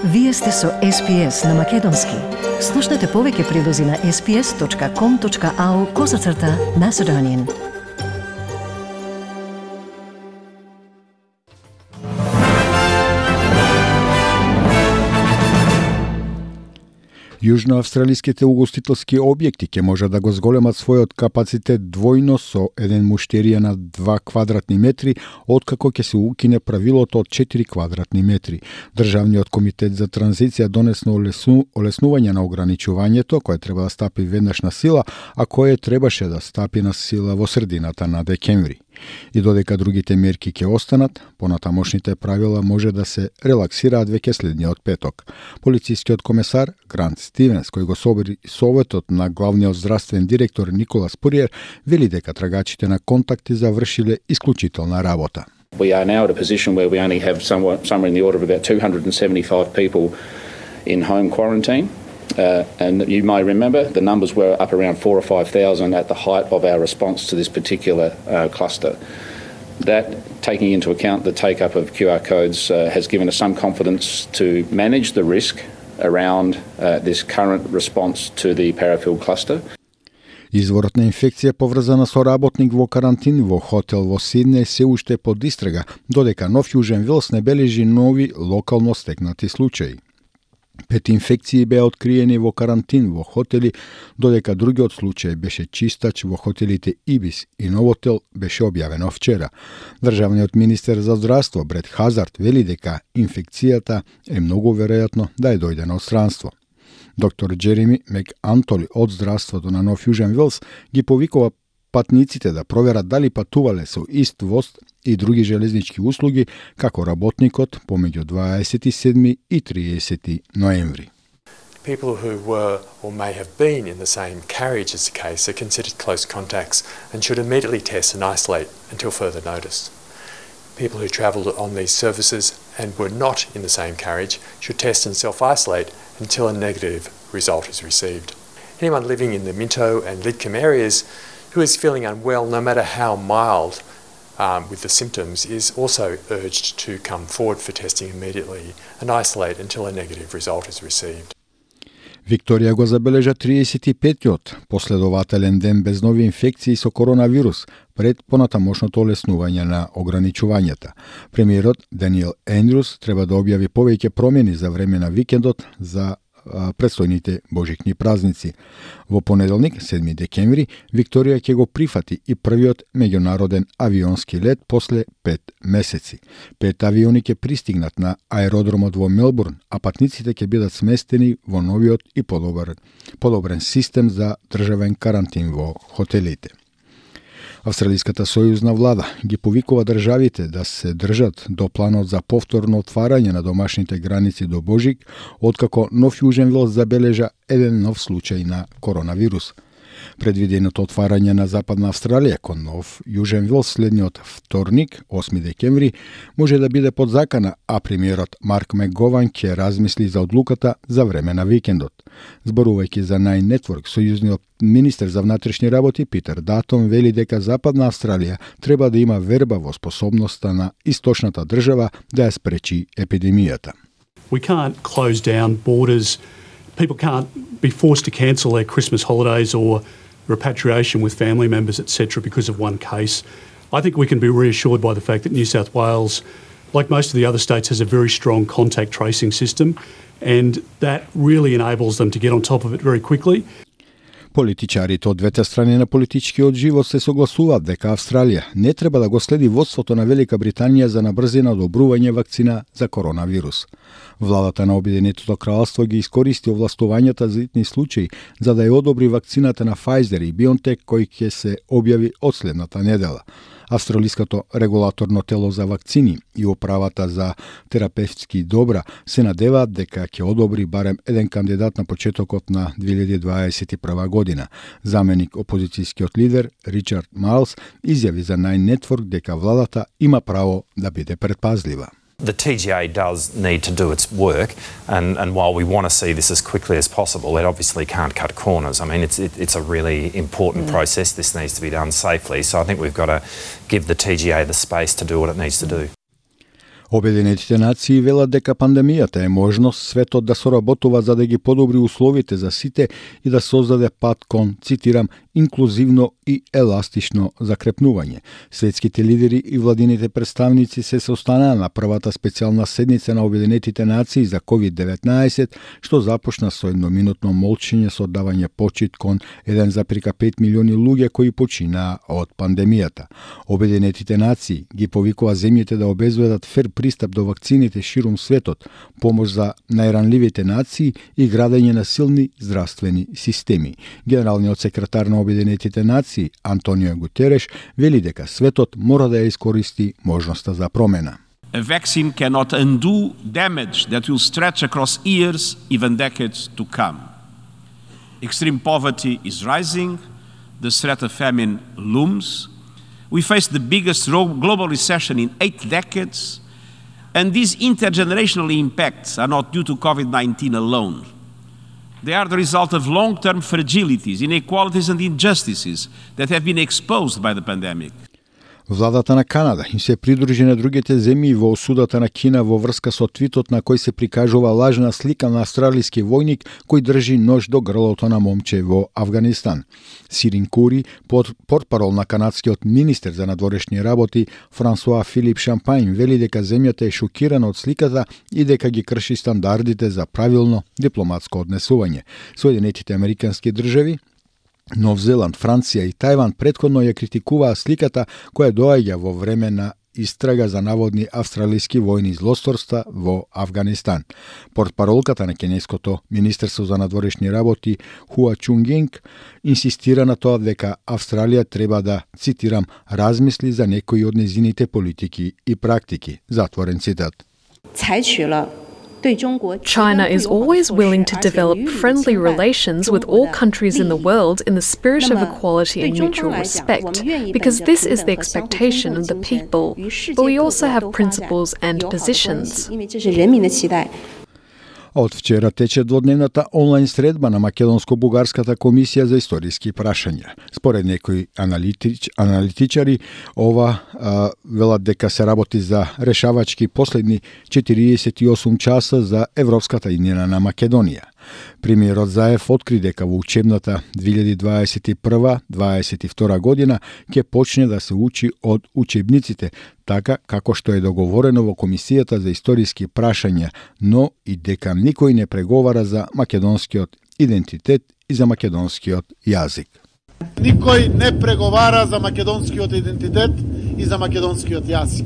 Вие сте со SPS на Македонски. Слушнете повеќе прилози на sps.com.au/Macedonian. Јужноавстралиските угостителски објекти ќе може да го зголемат својот капацитет двојно со еден муштерија на 2 квадратни метри, откако ќе се укине правилото од 4 квадратни метри. Државниот комитет за транзиција донесно олеснување на ограничувањето, кое треба да стапи веднаш на сила, а кое требаше да стапи на сила во средината на декември. И додека другите мерки ќе останат, понатамошните правила може да се релаксираат веќе следниот петок. Полицискиот комесар Грант Стивенс, кој го собери советот на главниот здравствен директор Николас Пуриер, вели дека трагачите на контакти завршиле исклучителна работа. We are now at a position where we only have somewhere in the order of about 275 people in home quarantine. And you may remember the numbers were up around 4,000 or 5,000 at the height of our response to this particular cluster. That, taking into account the take-up of QR codes, has given us some confidence to manage the risk around this current response to the Parafield cluster. Изворот на инфекција поврзана со работник во карантин во хотел во Сиднеј се уште под истрага, додека Нов Јужен Велс не бележи нови локално стекнати случаи. 5 инфекции беа откриени во карантин во хотели, додека другиот случај беше чистач во хотелите Ибис и Новотел беше објавено вчера. Државниот министер за здравство Брет Хазард вели дека инфекцијата е многу веројатно да ја дојде на одстранство. Доктор Джереми Мек Антоли од здравството на Нов Јужен Велс ги повикува патниците да проверат дали патувале со ист воз и други железнички услуги како работникот помеѓу 27 и 30 ноември. People who were or may have been in the same carriage as the case are considered close contacts and should immediately test and isolate until further notice. People who travelled on these services and were not in the same carriage should test and self-isolate until a negative result is received. Anyone living in the Minto and Lidcombe areas who is feeling unwell, no matter how mild with the symptoms, is also urged to come forward for testing immediately and isolate until a negative result is received. Викторија го забележа 35-тиот последователен ден без нови инфекции со коронавирус пред понатамошното олеснување на ограничувањата. Премиерот Даниел Ендрюс треба да објави повеќе промени за време на викендот за предстојните божикни празници. Во понеделник, 7 декември, Викторија ќе го прифати и првиот меѓународен авионски лет после 5 месеци. 5 авиони ќе пристигнат на аеродромот во Мелбурн, а патниците ќе бидат сместени во новиот и подобрен систем за државен карантин во хотелите. Австралиската сојузна влада ги повикува државите да се држат до планот за повторно отварање на домашните граници до Божик, откако Нов Јужен Велс забележа еден нов случај на коронавирус. Предвиденото отварање на Западна Австралија кон Нов Јужен Велс следниот вторник, 8 декември, може да биде под закана, а премиерот Марк Мегован ќе размисли за одлуката за време на викендот. Зборувајќи за Nine Network, сојузниот министер за внатрешни работи Питер Датон вели дека Западна Австралија треба да има верба во способноста на источната држава да ја спречи епидемијата. We can't close down borders. People can't be forced to cancel their Christmas holidays or repatriation with family members, etc., because of one case. I think we can be reassured by the fact that New South Wales, like most of the other states, has a very strong contact tracing system, and that really enables them to get on top of it very quickly. Политичарите од двете страни на политичкиот живот се согласуваат дека Австралија не треба да го следи водството на Велика Британија за набрзина одобрување вакцина за коронавирус. Владата на Обединетото кралство ги искористи овластувањата за итни случаи за да ја одобри вакцината на Pfizer и BioNTech кој ќе се објави од следната недела. Австралиското регулаторно тело за вакцини и управата за терапевтски добра се надеваат дека ќе одобри барем еден кандидат на почетокот на 2021 година. Заменик опозицијскиот лидер Ричард Майлс изјави за Nine Network дека владата има право да биде предпазлива. The TGA does need to do its work, and while we want to see this as quickly as possible, it obviously can't cut corners. I mean, it's a really important process. This needs to be done safely, so I think we've got to give the TGA the space to do what it needs to do. Обединетите нации велат дека пандемијата е можност светот да соработува за да ги подобри условите за сите и да создаде пат кон, цитирам, инклузивно и еластично закрепнување. Светските лидери и владините представници се состанаа на првата специјална седница на Обединетите нации за COVID-19, што започна со едноминутно молчење со оддавање почит кон 1,5 милиони луѓе кои починаа од пандемијата. Обединетите нации ги повикува земјите да обезбедат фер пристап до вакцините ширум светот, помош за најранливите нации и градење на силни здравствени системи. Генералниот секретар на Обединетите нации Антонио Гутереш вели дека светот мора да ја искористи можноста за промена. A vaccine cannot undo damage that will stretch across years, even decades to come. Extreme poverty is rising, the threat of famine looms. We face the biggest global recession in 8 decades, and these intergenerational impacts are not due to COVID-19 alone. They are the result of long-term fragilities, inequalities and injustices that have been exposed by the pandemic. Владата на Канада им се придружи на другите земји во осудата на Кина во врска со твитот на кој се прикажува лажна слика на австралиски војник кој држи нож до грлото на момче во Авганистан. Сирин Кури, портпарол на канадскиот министер за надворешни работи Франсуа Филип Шампајн, вели дека земјата е шокирана од сликата и дека ги крши стандардите за правилно дипломатско однесување. Соединетите американски држави, Нов Зеланд, Франција и Тајван претходно ја критикуваа сликата која доаѓа во време на истрага за наводни австралиски војни злосторства во Авганистан. Портпаролката на Кенеското Министерство за надворешни работи Хуа Чунгинг инсистира на тоа дека Австралија треба да, цитирам, размисли за некои од незините политики и практики. Затворен цитат. China is always willing to develop friendly relations with all countries in the world in the spirit of equality and mutual respect, because this is the expectation of the people. But we also have principles and positions. Од вчера тече дводневната онлайн средба на Македонско-Бугарската комисија за историски прашања. Според некои аналитичари, ова велат дека се работи за решавачки последни 48 часа за европската иднина на Македонија. Премиерот Заев откри дека во учебната 2021-2022 година ќе почне да се учи од учебниците, така како што е договорено во Комисијата за историски прашања, но и дека никој не преговара за македонскиот идентитет и за македонскиот јазик. Никој не преговара за македонскиот идентитет и за македонскиот јазик.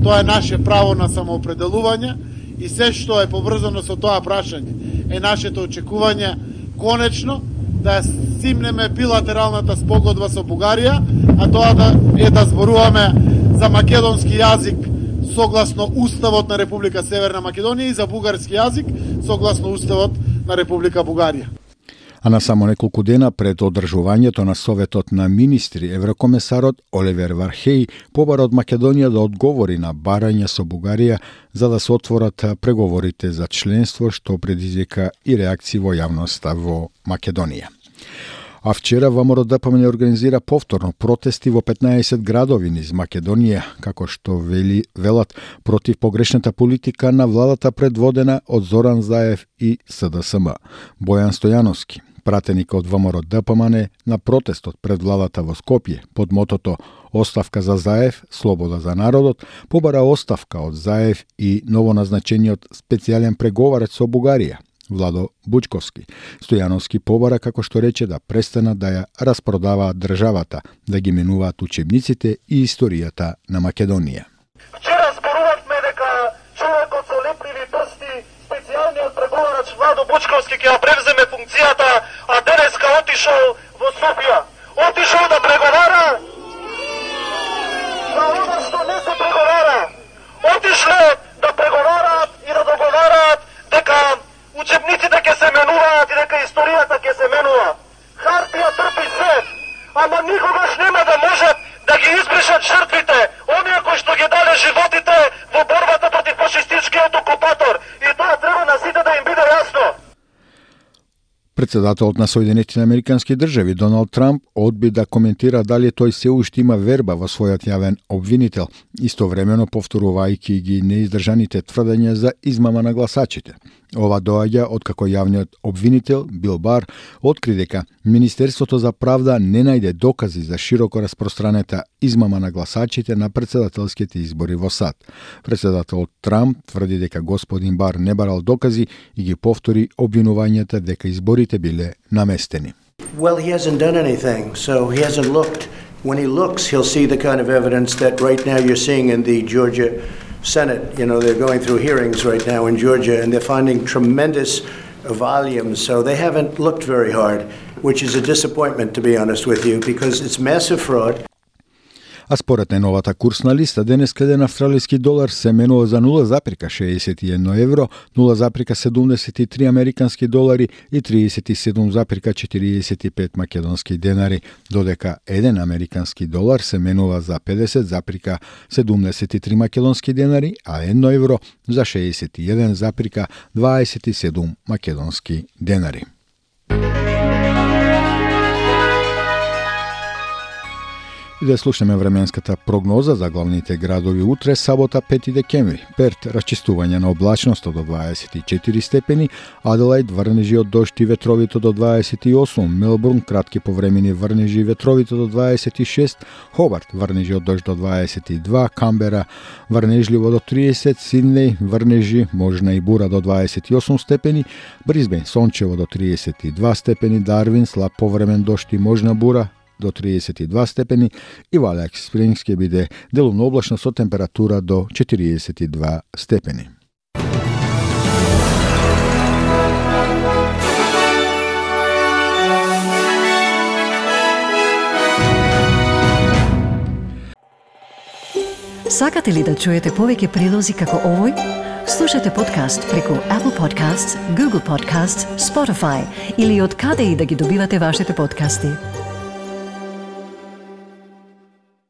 Тоа е наше право на самоопределување и се што е поврзано со тоа прашање е нашето очекување конечно да стимнеме билатералната спогодба со Бугарија, а тоа да зборуваме за македонски јазик согласно Уставот на Република Северна Македонија и за бугарски јазик согласно Уставот на Република Бугарија. А на само неколку дена пред одржувањето на Советот на министри, еврокомесарот Оливер Вархеј побара од Македонија да одговори на барање со Бугарија за да се отворат преговорите за членство, што предизвика и реакции во јавноста во Македонија. А вчера ВМРО ДПМН организира повторно протести во 15 градови низ Македонија, како што велат против погрешната политика на владата предводена од Зоран Заев и СДСМ. Бојан Стојановски, пратеник од ВМРО ДПМН на протестот пред владата во Скопје под мотото "Оставка за Заев, слобода за народот", побара оставка од Заев и новоназначениот специјален преговарач со Бугарија, Владо Бучковски. Стојановски побара, како што рече, да престанат да ја распродаваат државата, да ги менуваат учебниците и историјата на Македонија. Вчера зборувавме дека човекот со лепливи прсти, специјалниот преговарач Владо Бучковски ќе ја превземе функцијата, а денеска отишол во Софија. Отишол да преговара за она што не се преговара. Отишле да преговараат и да договараат дека учебниците ќе се менуваат и дека историјата ќе се менува. Хартија трпи се, ама никогаш нема да можат да ги избришат жртвите, оние кои што ги дале животите во борбата против фашистичкиот окупатор. И тоа треба на сите да им биде јасно. Пред Председателот на Соединетите американски држави Доналд Трамп одби да коментира дали тој се уште има верба во својот јавен обвинител, истовремено повторувајќи ги неиздржаните тврдења за измама на гласачите. Ова доаѓа откако јавниот обвинител Бил Бар откри дека Министерството за правда не најде докази за широко распространета измама на гласачите на председателските избори во САД. Председателот Трамп тврди дека господин Бар не барал докази и ги повтори обвинувањата дека изборите биле наместени. Well, he hasn't done anything, so he hasn't looked. When he looks, he'll see the kind of evidence that right now you're seeing in the Georgia Senate. You know, they're going through hearings right now in Georgia, and they're finding tremendous volumes. So they haven't looked very hard, which is a disappointment, to be honest with you, because it's massive fraud. А според најновата курсна листа, денеска еден австралиски долар се менува за 0,61 евро, 0,73 американски долари и 37,45 македонски денари, додека еден американски долар се менува за 50,73 македонски денари, а 1 евро за 61,27 македонски денари. И да слушаме временската прогноза за главните градови утре, сабота 5 декември. Перт, расчистување на облачноста до 24 степени, Аделаид, врнежи од дожд и ветровито до 28, Мелбурн, кратки повремени врнежи и ветровито до 26, Хобарт, врнежи од дожд до 22, Камбера, врнежливо до 30, Сиднеј, врнежи, можна и бура до 28 степени, Брисбен, сончево до 32 степени, Дарвин, слаб повремен дожд и можна бура до 32 степени и Валјак Спрингс ќе биде делумно облачно со температура до 42 степени. Сакате ли да чуете повеќе прилози како овој? Слушате подкаст преку Apple Podcasts, Google Podcasts, Spotify или од каде и да ги добивате вашите подкасти.